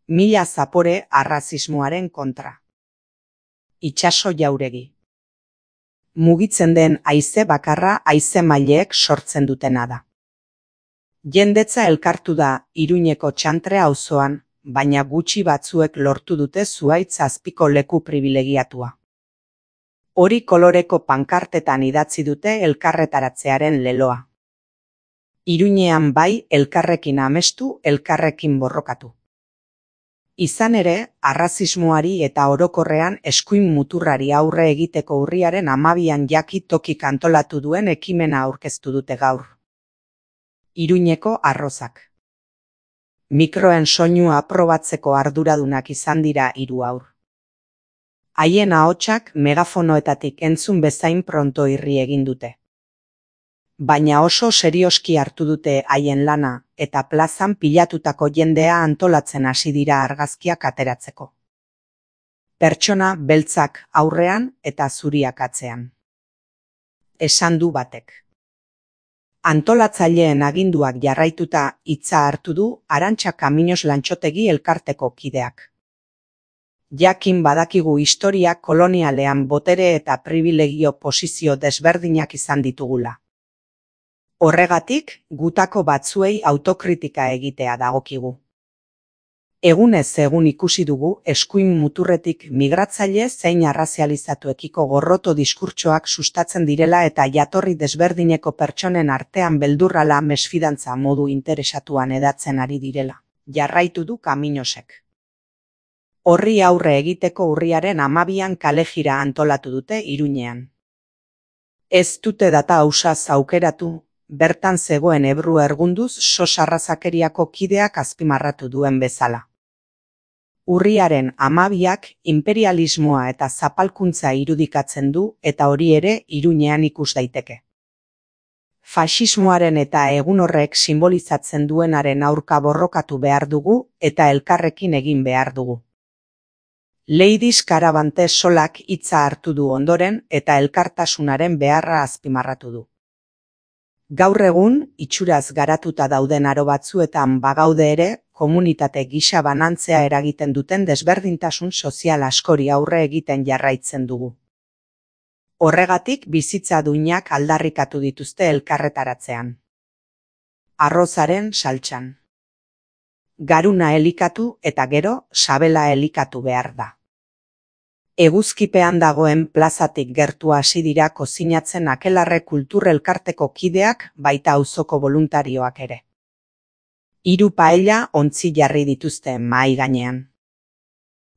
Mila zapore arrazismoaren kontra. Itsaso jauregi. Mugitzen den haize bakarra haize maileek sortzen dutena da. Jendetza elkartu da Iruñeko Txantre auzoan, baina gutxi batzuek lortu dute zuhaitz azpiko leku pribilegiatua. Hori koloreko pankartetan idatzi dute elkarretaratzearen leloa. Iruñean bai elkarrekin amestu, elkarrekin borrokatu. Izan ere, arrazismoari eta orokorrean eskuin muturrari aurre egiteko urriaren 12an jaki tokik antolatu duen ekimena aurkeztu dute gaur. Iruñeko arrozak. Mikroen soinua aprobatzeko arduradunak izan dira 3 haur. Haien ahotsak megafonoetatik entzun bezain pronto irri egin dute. Baina oso serioski hartu dute haien lana, eta plazan pilatutako jendea antolatzen hasi dira argazkiak ateratzeko. Pertsona beltzak aurrean eta zuriak atzean. Esan du batek. Antolatzaileen aginduak jarraituta hitza hartu du Arantxa Kamiños Lantxotegi elkarteko kideak. Jakin badakigu historia kolonialean botere eta pribilegio posizio desberdinak izan ditugula. Horregatik, gutako batzuei autokritika egitea dagokigu. Egunez egun ikusi dugu eskuin muturretik migratzaile zein arrazializatuekiko gorroto diskurtsoak sustatzen direla eta jatorri desberdineko pertsonen artean beldurrala mesfidantza modu interesatuan edatzen ari direla, jarraitu du Kamiñosek. Horri aurre egiteko urriaren 12an kalejira antolatu dute Iruñean. Ez dute data ausaz aukeratu, bertan zegoen Ebru Ergunduz sos arrazakeriako kideak azpimarratu duen bezala. Urriaren 12ak imperialismoa eta zapalkuntza irudikatzen du eta hori ere Iruñean ikus daiteke. Faxismoaren eta egun horrek simbolizatzen duenaren aurka borrokatu behar dugu eta elkarrekin egin behar dugu. Ladies Karabante solak hitza hartu du ondoren eta elkartasunaren beharra azpimarratu du. Gaur egun, itxuraz garatuta dauden aro batzuetan bagaude ere, komunitate gisa banantzea eragiten duten desberdintasun sozial askori aurre egiten jarraitzen dugu. Horregatik bizitza duinak aldarrikatu dituzte elkarretaratzean. Arrozaren saltsan. Garuna elikatu eta gero sabela elikatu behar da. Eguzkipean dagoen plazatik gertu hasi dira kozinatzen Akelarre kultur elkarteko kideak baita auzoko boluntarioak ere. 3 paella ontzi jarri dituzte mahai gainean.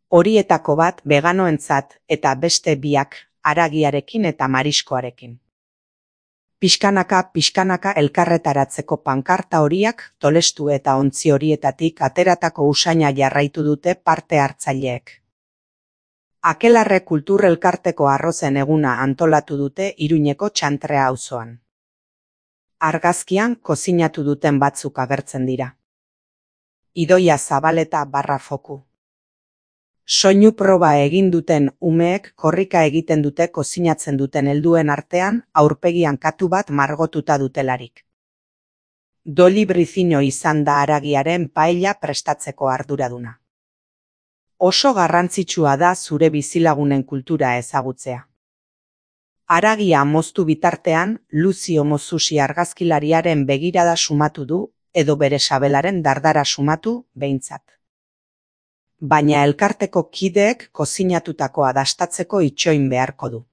Horietako bat veganoentzat eta beste 2 haragiarekin eta mariskoarekin. Pixkanaka elkarretaratzeko pankarta horiak tolestu eta ontzi horietatik ateratako usaina jarraitu dute parte hartzaileek. Akelarre kultur elkarteko arrozen eguna antolatu dute Iruñeko Txantre auzoan. Argazkian kozinatu duten batzuk agertzen dira. Idoia Zabaleta /foku. Soinu proba egin duten umeek korrika egiten dute kozinatzen duten helduen artean aurpegian katu bat margotuta dutelarik. Doli Briziño izan da haragiaren paella prestatzeko arduraduna. Oso garrantzitsua da zure bizilagunen kultura ezagutzea. Haragia moztu bitartean, Luzio Mozusi argazkilariaren begirada sumatu du, edo bere sabelaren dardara sumatu, behintzat. Baina elkarteko kideek kozinatutakoa dastatzeko itxoin beharko du.